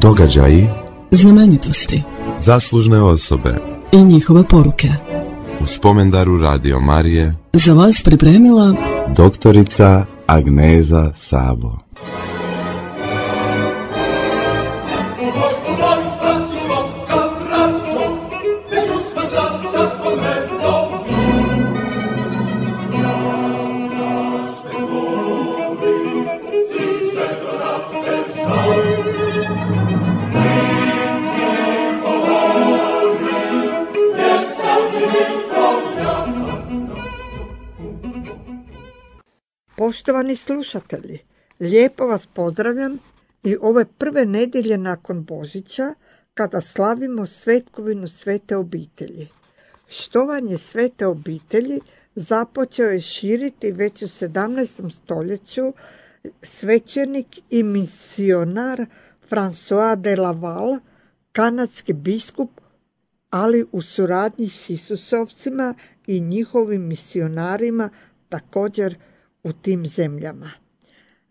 Događaji, znamenitosti, zaslužne osobe i njihove poruke. U spomendaru Radio Marije Za vas pripremila doktorica Agneza Sabo. Poštovani slušatelji, lijepo vas pozdravljam i ove prve nedjelje nakon Božića kada slavimo svetkovinu Svete obitelji. Štovanje Svete obitelji započeo je širiti već u 17. stoljeću svećenik i misionar François de Laval, kanadski biskup, ali u suradnji s Isusovcima i njihovim misionarima također u tim zemljama.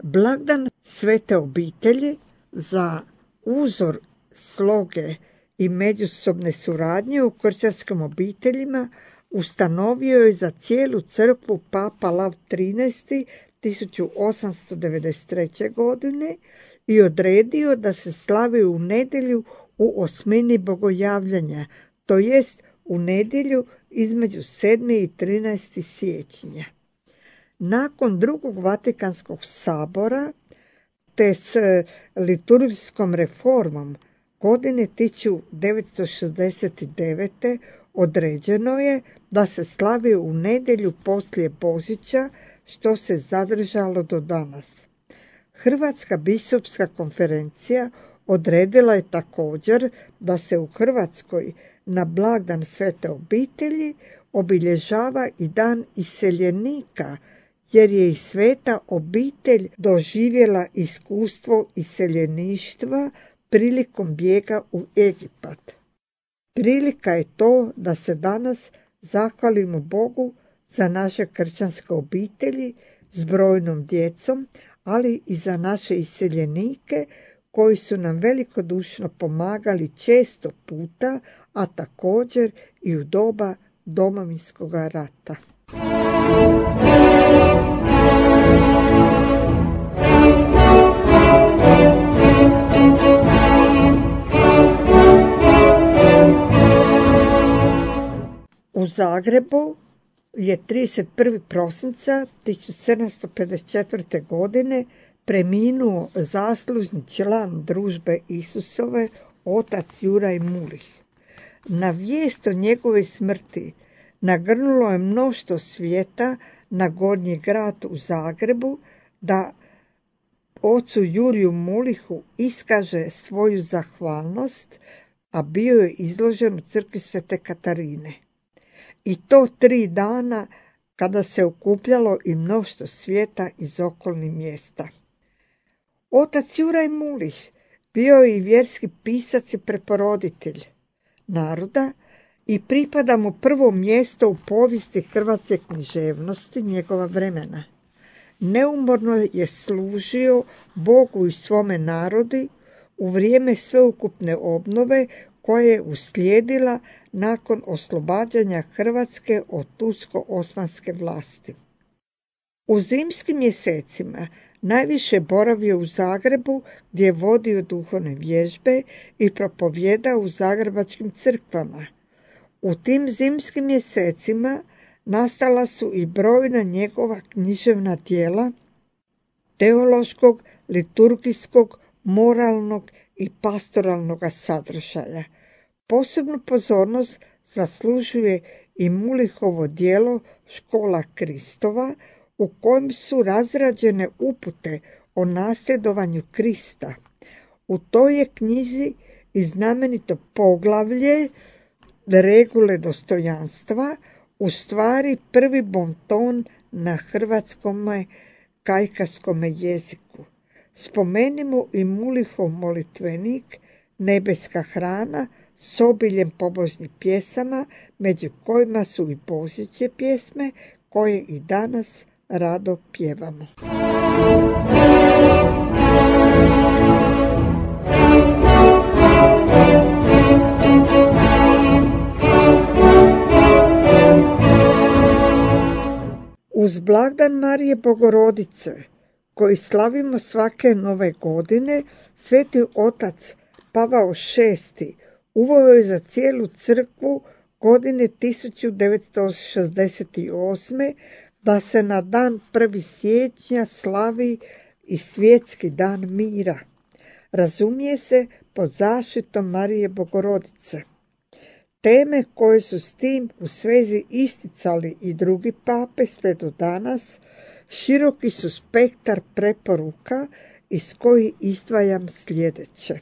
Blagdan Svete obitelji za uzor sloge i međusobne suradnje u kršćanskim obiteljima ustanovio je za cijelu crkvu Papa Lav XIII 1893. godine i odredio da se slavi u nedjelju u osmini bogojavljanja, to jest u nedjelju između 7. i 13. siječnja. Nakon drugog Vatikanskog sabora te s liturgijskom reformom godine 1969. određeno je da se slavi u nedjelju poslije Božića, što se zadržalo do danas. Hrvatska biskupska konferencija odredila je također da se u Hrvatskoj na blagdan Svete obitelji obilježava i dan iseljenika, jer je i Sveta obitelj doživjela iskustvo iseljeništva prilikom bijega u Egipat. Prilika je to da se danas zahvalimo Bogu za naše kršćanske obitelji s brojnom djecom, ali i za naše iseljenike koji su nam velikodušno pomagali često puta, a također i u doba Domovinskog rata. U Zagrebu je 31. prosinca 1754. godine preminuo zaslužni član družbe Isusove, otac Juraj Mulih. Na vijest o njegove smrti nagrnulo je mnoštvo svijeta na Gornji grad u Zagrebu da ocu Juriju Mulihu iskaže svoju zahvalnost, a bio je izložen u crkvi Svete Katarine. I to 3 dana kada se okupljalo i mnoštvo svijeta iz okolnih mjesta. Otac Juraj Mulih bio je i vjerski pisac i preporoditelj naroda i pripada mu prvo mjesto u povijesti hrvatske književnosti njegova vremena. Neumorno je služio Bogu i svome narodi u vrijeme sveukupne obnove koja je uslijedila nakon oslobađanja Hrvatske od tursko-osmanske vlasti. U zimskim mjesecima najviše boravio u Zagrebu gdje je vodio duhovne vježbe i propovijedao u zagrebačkim crkvama. U tim zimskim mjesecima nastala su i brojna njegova književna djela teološkog, liturgijskog, moralnog i pastoralnog sadržaja. Posebnu pozornost zaslužuje i Mulihovo djelo Škola Kristova, u kojem su razrađene upute o nasljedovanju Krista. U toj je knjizi i znamenito poglavlje Regule dostojanstva, u stvari prvi bonton na hrvatskom kajkavskom jeziku. Spomenimo i Mulihov molitvenik Nebeska hrana s obiljem pobožnih pjesama, među kojima su i božićne pjesme koje i danas rado pjevamo. Uz blagdan Marije Bogorodice, koji slavimo svake nove godine, Sveti otac Pavao VI uveo je za cijelu crkvu godine 1968. da se na dan 1. siječnja slavi i svjetski dan mira. Razumije se pod zaštitom Marije Bogorodice. Teme koje su s tim u svezi isticali i drugi pape sve do danas, široki su spektar preporuka iz kojih izdvajam sljedeće.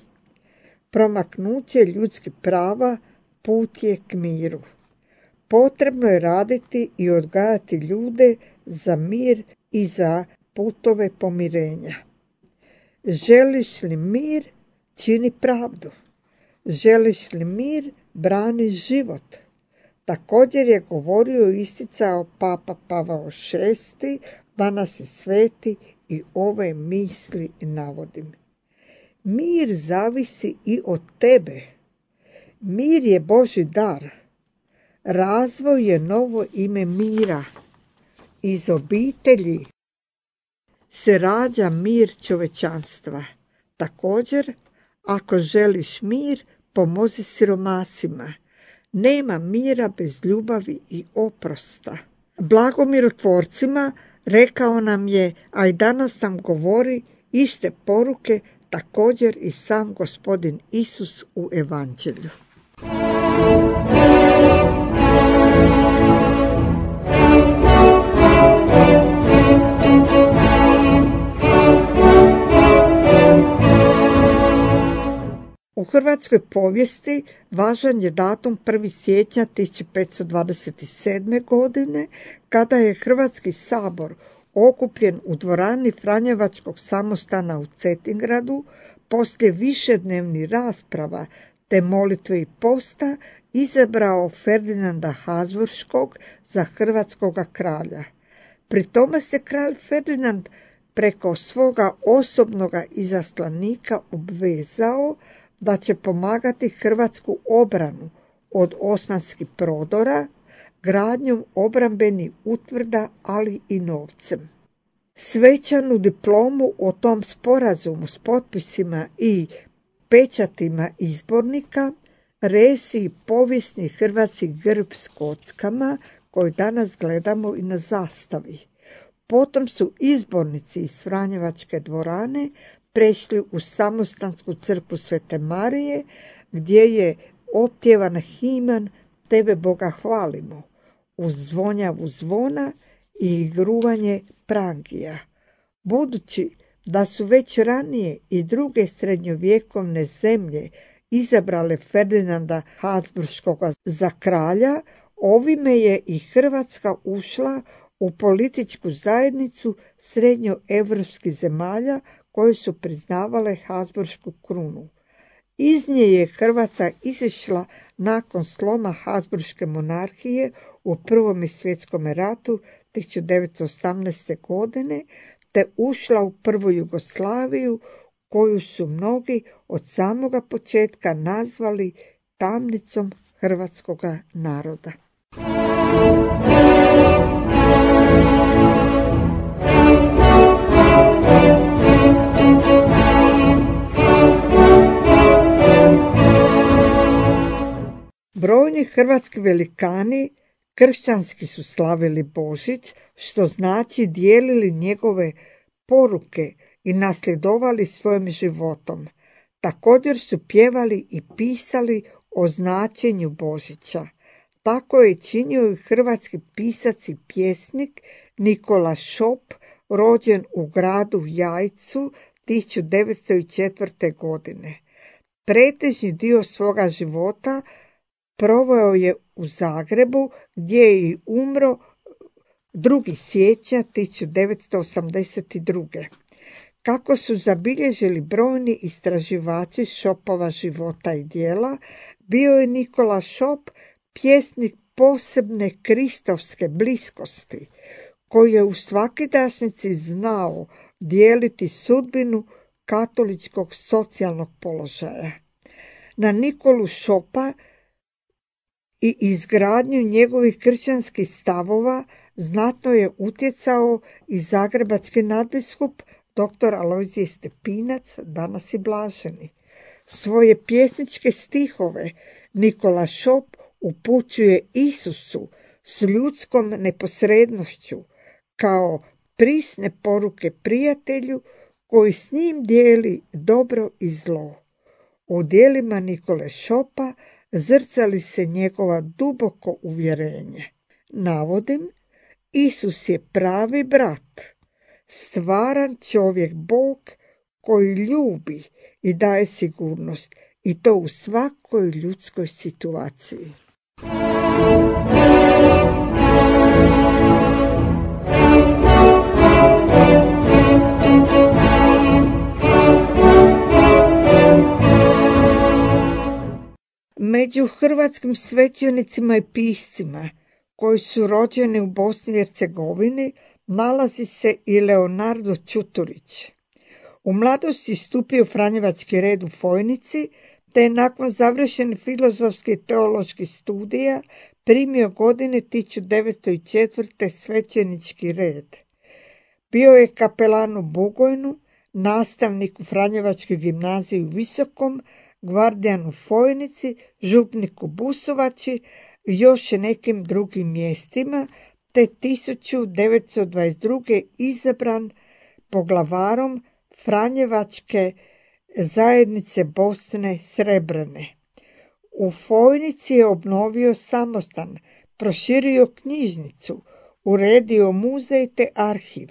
Promaknuće ljudskih prava put je k miru. Potrebno je raditi i odgajati ljude za mir i za putove pomirenja. Želiš li mir, čini pravdu. Želiš li mir, brani život. Također je govorio i isticao Papa Pavao VI, danas je sveti, i ove misli navodim. Mir zavisi i od tebe. Mir je Božji dar. Razvoj je novo ime mira. Iz obitelji se rađa mir čovečanstva. Također, ako želiš mir, pomozi siromasima. Nema mira bez ljubavi i oprosta. Blagomirotvorcima rekao nam je, a i danas nam govori iste poruke, također i sam Gospodin Isus u Evanđelju. U hrvatskoj povijesti važan je datum 1. siječnja 1527. godine, kada je Hrvatski sabor okupljen u dvorani Franjevačkog samostana u Cetingradu, poslije višednevnih rasprava te molitve i posta, izabrao Ferdinanda Habsburškog za hrvatskoga kralja. Pri tome se kralj Ferdinand preko svoga osobnoga izaslanika obvezao da će pomagati hrvatsku obranu od osmanskih prodora, gradnjom obrambenih utvrda, ali i novcem. Svečanu diplomu o tom sporazumu s potpisima i pečatima izbornika resi povijesni hrvatski grb s kockama koji danas gledamo i na zastavi. Potom su izbornici iz Franjevačke dvorane prešli u samostansku crkvu Svete Marije, gdje je opjevan himan Tebe Boga hvalimo, uz zvonjavu zvona i igruvanje prangija. Budući da su već ranije i druge srednjovjekovne zemlje izabrale Ferdinanda Habsburškog za kralja, ovime je i Hrvatska ušla u političku zajednicu srednjoevropskih zemalja koje su priznavale Habsburšku krunu. Iz nje je Hrvatska izišla nakon sloma Habsburške monarhije u Prvom svjetskom ratu 1918. godine, te ušla u prvu Jugoslaviju, koju su mnogi od samoga početka nazvali tamnicom hrvatskoga naroda. Brojni hrvatski velikani kršćanski su slavili Božić, što znači dijelili njegove poruke i nasljedovali svojim životom. Također su pjevali i pisali o značenju Božića. Tako je činio i hrvatski pisac i pjesnik Nikola Šop, rođen u gradu Jajcu 1904. godine. Pretežni dio svoga života proveo je u Zagrebu, gdje je i umro 2. siječnja 1982. Kako su zabilježili brojni istraživači Šopova života i djela, bio je Nikola Šop pjesnik posebne kristovske bliskosti, koji je u svakidašnjici znao dijeliti sudbinu katoličkog socijalnog položaja. Na Nikolu Šopa i izgradnju njegovih kršćanskih stavova znatno je utjecao i zagrebački nadbiskup dr. Alojzije Stepinac, danas i blaženi. Svoje pjesničke stihove Nikola Šop upućuje Isusu s ljudskom neposrednošću kao prisne poruke prijatelju koji s njim dijeli dobro i zlo. U djelima Nikole Šopa zrcali se njegova duboko uvjerenje. Navodim, Isus je pravi brat, stvaran čovjek Bog koji ljubi i daje sigurnost, i to u svakoj ljudskoj situaciji. Među hrvatskim svećenicima i piscima koji su rođeni u Bosni i Hercegovini nalazi se i Leonardo Čuturić. U mladosti stupio u Franjevački red u Fojnici, te je nakon završenih filozofskih i teoloških studija primio godine 1904. svećenički red. Bio je kapelan u Bugojnu, nastavnik u Franjevačkoj gimnaziji u Visokom, gvardijan u Fojnici, župnik u Busovači i još nekim drugim mjestima, te 1922. izabran poglavarom Franjevačke zajednice Bosne Srebrene. U Fojnici je obnovio samostan, proširio knjižnicu, uredio muzej te arhiv.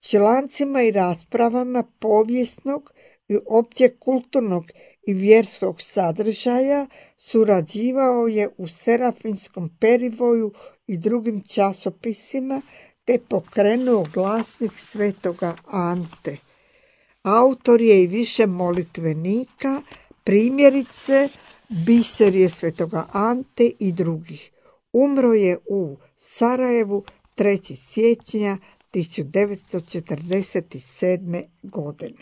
Člancima i raspravama povijesnog i opće kulturnog i vjerskog sadržaja surađivao je u Serafinskom perivoju i drugim časopisima, te pokrenuo glasnik Svetoga Ante. Autor je i više molitvenika, primjerice Biserije Svetoga Ante i drugih. Umro je u Sarajevu 3. siječnja 1947. godine.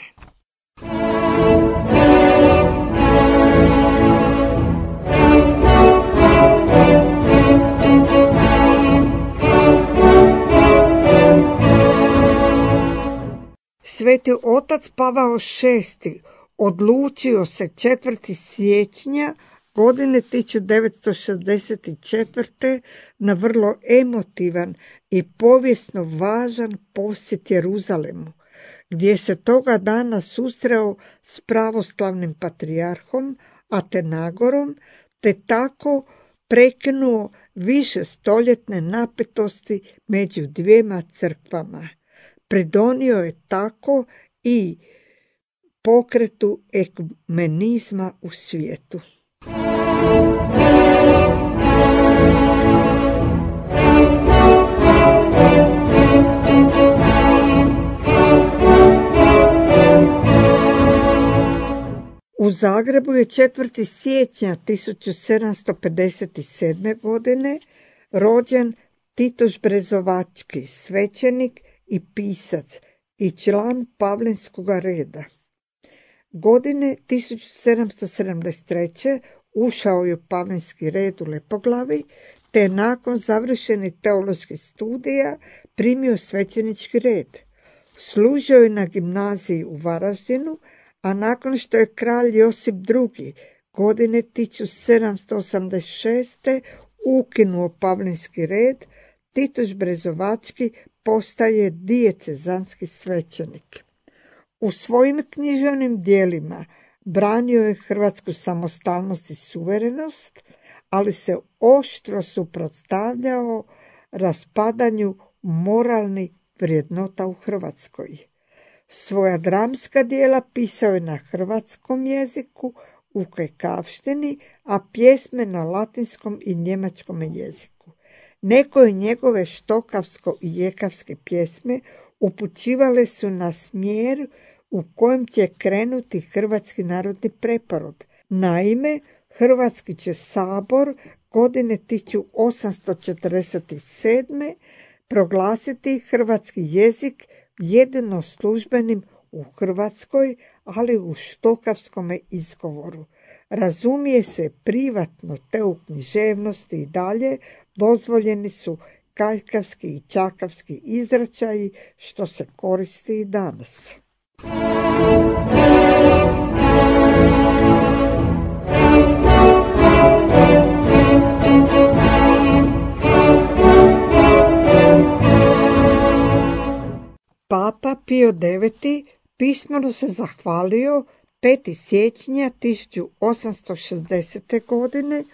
Sveti otac Pavao VI odlučio se 4. siječnja godine 1964. na vrlo emotivan i povijesno važan posjet Jeruzalemu, gdje se toga dana susreo s pravoslavnim patrijarhom Atenagorom, te tako prekinuo višestoljetne napetosti među dvijema crkvama. Pridonio je tako i pokretu ekumenizma u svijetu. U Zagrebu je 4. siječnja 1757. godine rođen Titoš Brezovački, svećenik i pisac i član Pavlinskoga reda. Godine 1773. ušao je u Pavlinski red u Lepoglavi, te nakon završenih teoloških studija primio svećenički red. Služio je na gimnaziji u Varaždinu, a nakon što je kralj Josip II. Godine 1786. ukinuo Pavlinski red, Titoš Brezovački postaje dijecezanski svećenik. U svojim književnim dijelima branio je hrvatsku samostalnost i suverenost, ali se oštro suprotstavljao raspadanju moralnih vrijednota u Hrvatskoj. Svoja dramska djela pisao je na hrvatskom jeziku u kajkavštini, a pjesme na latinskom i njemačkom jeziku. Nekoje njegove štokavsko i jekavske pjesme upućivale su na smjer u kojem će krenuti hrvatski narodni preporod. Naime, Hrvatski će sabor godine 1847. proglasiti hrvatski jezik jedino službenim u Hrvatskoj, ali u štokavskom izgovoru. Razumije se privatno te u književnosti i dalje dozvoljeni su kajkavski i čakavski izračaji što se koristi i danas. Papa Pio IX pismeno se zahvalio 5. siječnja 1860. godine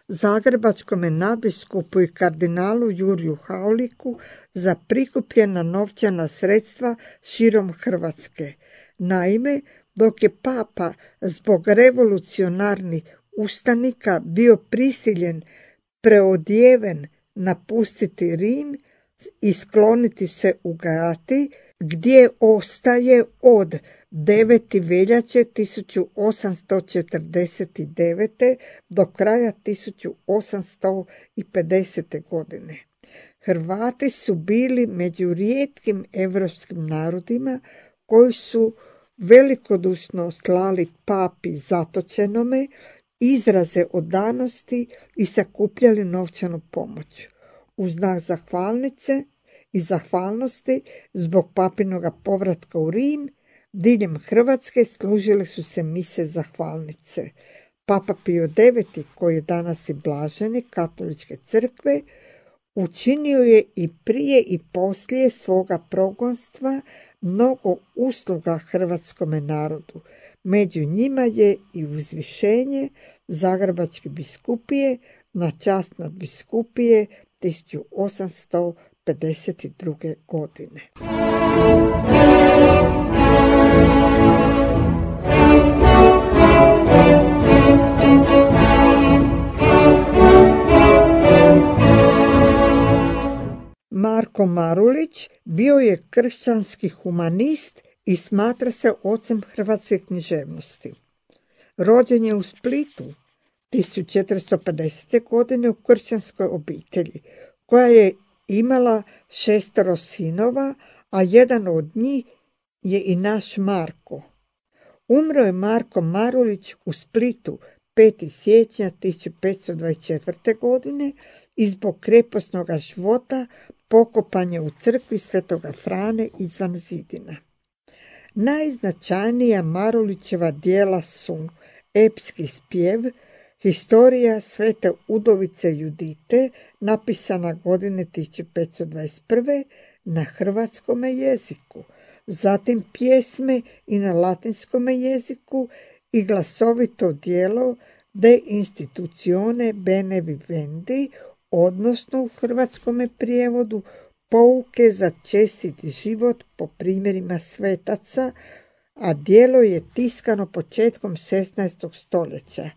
zagrebačkome nadbiskupu i kardinalu Juriju Hauliku za prikupljena novčana sredstva širom Hrvatske. Naime, dok je papa zbog revolucionarnih ustanika bio prisiljen preodjeven napustiti Rim i skloniti se u Gati, gdje ostaje od 9. veljače 1849. do kraja 1850. godine. Hrvati su bili među rijetkim europskim narodima koji su velikodušno slali papi zatočenome izraze odanosti i sakupljali novčanu pomoć. U znak zahvalnice i zahvalnosti zbog papinoga povratka u Rim, diljem Hrvatske služile su se mise zahvalnice. Papa Pio IX, koji je danas i blaženik Katoličke crkve, učinio je i prije i poslije svoga progonstva mnogo usluga hrvatskome narodu. Među njima je i uzvišenje Zagrebačke biskupije na čast nadbiskupije 1852. godine. Marko Marulić bio je kršćanski humanist i smatra se ocem hrvatske književnosti. Rođen je u Splitu 1450. godine u kršćanskoj obitelji, koja je imala 6 sinova, a jedan od njih je i naš Marko. Umro je Marko Marulić u Splitu 5. siječnja 1524. godine i zbog kreposnog života pokopan je u crkvi Svetoga Frane izvan zidina. Najznačajnija Marulićeva djela su epski spjev, Historija svete udovice Judite, napisana godine 1521. na hrvatskome jeziku, zatim pjesme i na latinskome jeziku i glasovito djelo De institutione bene vivendi, odnosno u hrvatskome prijevodu Pouke za čestit život po primjerima svetaca, a djelo je tiskano početkom 16. stoljeća.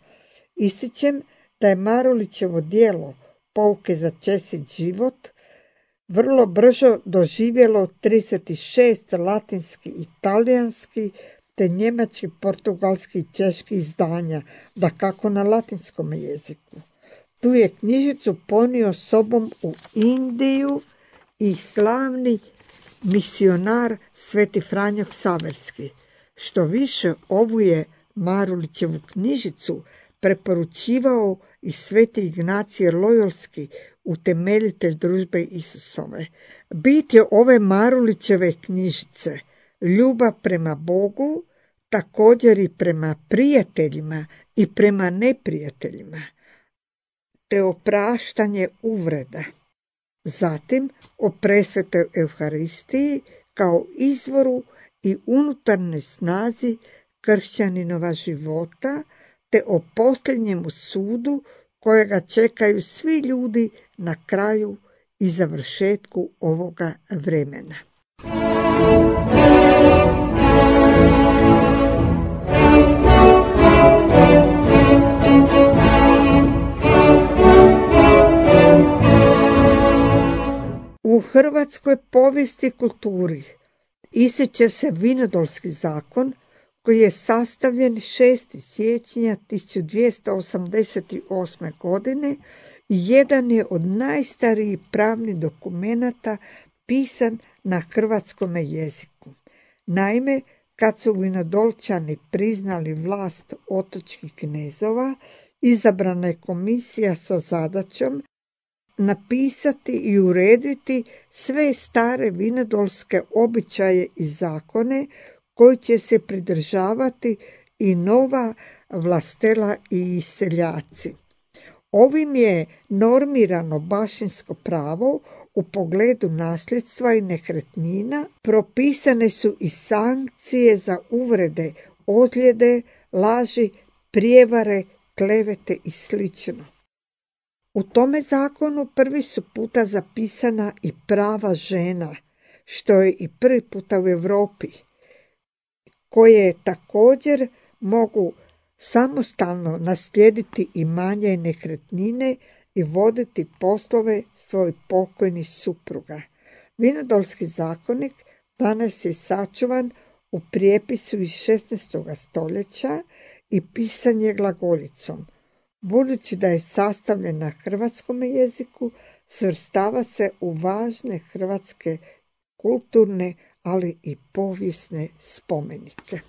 Ističem da je Marulićevo djelo Pouke za čestit život vrlo brzo doživjelo 36 latinski i talijanski te njemački, portugalski i češki izdanja, dakako na latinskom jeziku. Tu je knjižicu ponio sobom u Indiju i slavni misionar Sveti Franjo Ksaverski. Što više, ovu je Marulićevu knjižicu preporučivao i Sveti Ignacije Lojolski, utemeljitelj Družbe Isusove. Bit je ove Marulićeve knjižice ljubav prema Bogu, također i prema prijateljima i prema neprijateljima, te opraštanje uvreda. Zatim o presvetoj Euharistiji kao izvoru i unutarnjoj snazi kršćaninova života, te o posljednjemu sudu kojega čekaju svi ljudi na kraju i završetku ovoga vremena. U hrvatskoj povijesti i kulturi ističe se Vinodolski zakon, koji je sastavljen 6. siječnja 1288. godine i jedan je od najstarijih pravnih dokumenata pisan na hrvatskome jeziku. Naime, kad su Vinodolčani priznali vlast otočkih knezova, izabrana je komisija sa zadaćom napisati i urediti sve stare vinodolske običaje i zakone koji će se pridržavati i nova vlastela i seljaci. Ovim je normirano baštinsko pravo u pogledu nasljedstva i nekretnina, propisane su i sankcije za uvrede, ozljede, laži, prijevare, klevete i sl. U tome zakonu prvi su puta zapisana i prava žena, što je i prvi puta u Europi, koje također mogu samostalno naslijediti imanja i nekretnine i voditi poslove svojih pokojnih supruga. Vinodolski zakonik danas je sačuvan u prijepisu iz 16. stoljeća i pisan je glagoljicom. Budući da je sastavljen na hrvatskom jeziku, svrstava se u važne hrvatske kulturne, ali i povijesne spomenike.